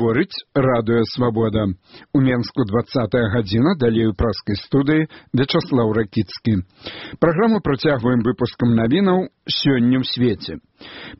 Гаворыць радыё «Свабода». У Менску 20-я гадзіна, далей у праскай студыі Вячаслаў Ракіцкі. Праграму працягваем выпускам навінаў «Сёння ў свеце».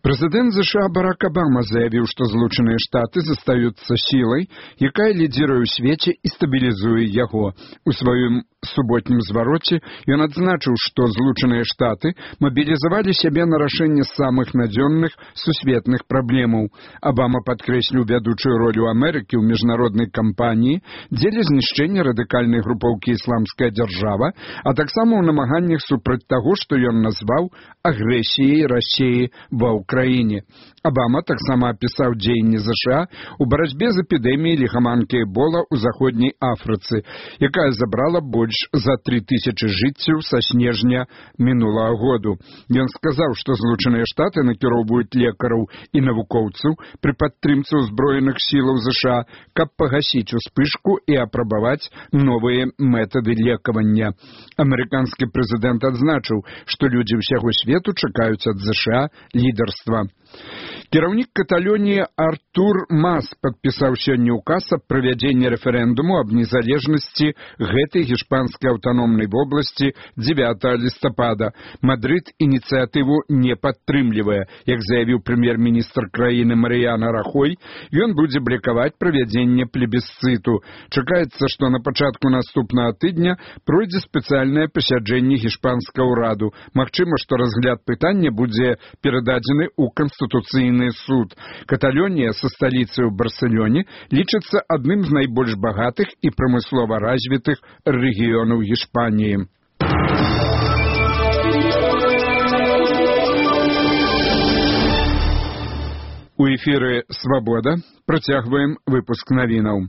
Прэзідэнт США Барак Абама заявіў, што Злучаныя Штаты застаюцца сілай, якая лідзіруе ў свеце і стабілізуе яго. У сваім суботнім звароце ён адзначыў, што Злучаныя Штаты мабілізавалі сябе на рашэнне самых надзённых сусветных праблемаў. Абама падкрэсліў вядучую ролю Амерыкі ў міжнароднай кампаніі дзеля знішчэння радыкальнай групоўкі «Ісламская дзяржава», а таксама ў намаганнях супраць таго, што ён назваў агрэсіяй Расіі ва ўкраіне. Абама таксама апісаў дзеянні США ў барацьбе з эпідэміяй ліхаманкі Эбола ў заходняй Афрыцы, якая забрала больш за 3000 жыццяў са снежня мінулага году. Ён сказаў, што Злучаныя Штаты накіроўваюць лекараў і навукоўцаў пры падтрымцы ўзброеных сілаў США, каб пагасіць успышку і апрабаваць новыя метады лекавання. Амерыканскі прэзідэнт адзначыў, што людзі ўсяго свету чакаюць ад США лідарства. Кіраўнік Каталоніі Артур Мас падпісаў сёння ўказ аб правядзенні рэферэндуму аб незалежнасці гэтай гішпанскай аўтаномнай вобласці 9 лістапада. Мадрыд ініцыятыву не падтрымлівае. Як заявіў прэм'ер-міністр краіны Марыяна Рахой, ён будзе блакаваць правядзенне плебісцыту. Чакаецца, што на пачатку наступнага тыдня пройдзе спецыяльнае пасяджэнне гішпанскага ўраду. Магчыма, што разгляд пытання будзе перададзены ў Канстытуцыйны суд. Каталонія са сталіцай у Барселоне лічыцца адным з найбольш багатых і прамыслова развітых рэгіёнаў Гішпаніі. У эфіры «Свабода» працягваем выпуск навінаў.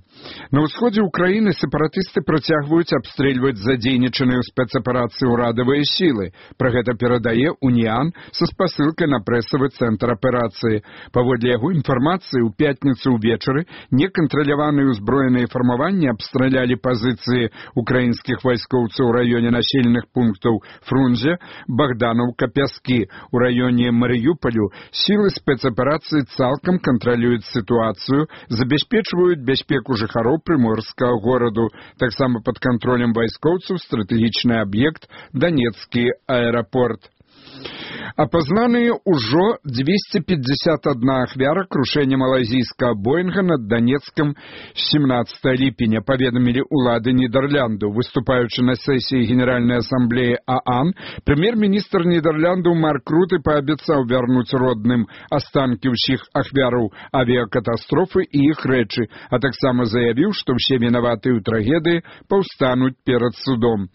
На ўсходзе ўкраіны сепаратысты працягваюць абстрэльваць задзейнічаныя ў спецаперацыі ўрадавыя сілы. Пра гэта перадае «Уніан» са спасылкай на прэсавы цэнтр аперацыі. Паводле яго інфармацыі, у пятніцу ўвечары некантраляваныя ўзброеныя фармаванні абстралялі пазіцыі украінскіх вайскоўцаў у раёне населеных пунктаў Фрунзе, Богдановка, Пяскі. У раёне Марыюполю сілы спецаперацыі цалкам кантралююць сітуацыю, забяспечваюць бяспеку жыхароў прыморскага гораду. Таксама пад кантролем вайскоўцаў стратэгічны аб'ект Донецкі аэрапорт. Апазнаныя ўжо 251 ахвяра крушэння малайзійскага Боінга над Донецкам 17 ліпеня, паведамілі ўлады Нідерландаў. Выступаючы на сесіі Генеральнай асамблеі ААН, прэм'ер-міністр Нідерландаў Марк Руте паабяцаў вярнуць родным астанкі ўсіх ахвяраў авіякатастрофы і іх рэчы, а таксама заявіў, што ўсе вінаватыя ў трагедыі паўстануць перад судом.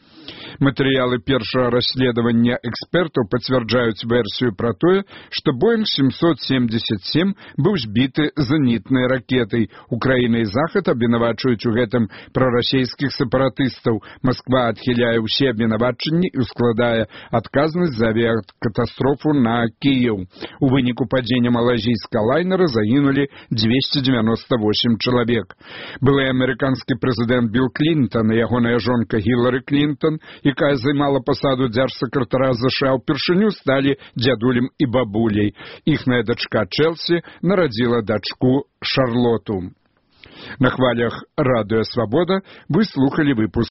Матэрыялы першага расследавання экспертаў пацвярджаюць версію пра тое, што Боінг 777 быў збіты зенітнай ракетай. Украіна і Захад абвінавачваюць у гэтым прарасійскіх сепаратыстаў. Масква адхіляе ўсе абвінавачанні і складае адказнасць за авіякатастрофу на Кіеў. У выніку падзення малайзійскага лайнера загінулі 298 чалавек. Былы амерыканскі прэзідэнт Білл Клінтон і ягоная жонка Гілары Клінтон, якая займала пасаду дзяржсакратара США, упершыню сталі дзядулем і бабуляй. Іхная дачка Чэлсі нарадзіла дачку Шарлоту. На хвалях радыё «Свабода» вы слухали выпуск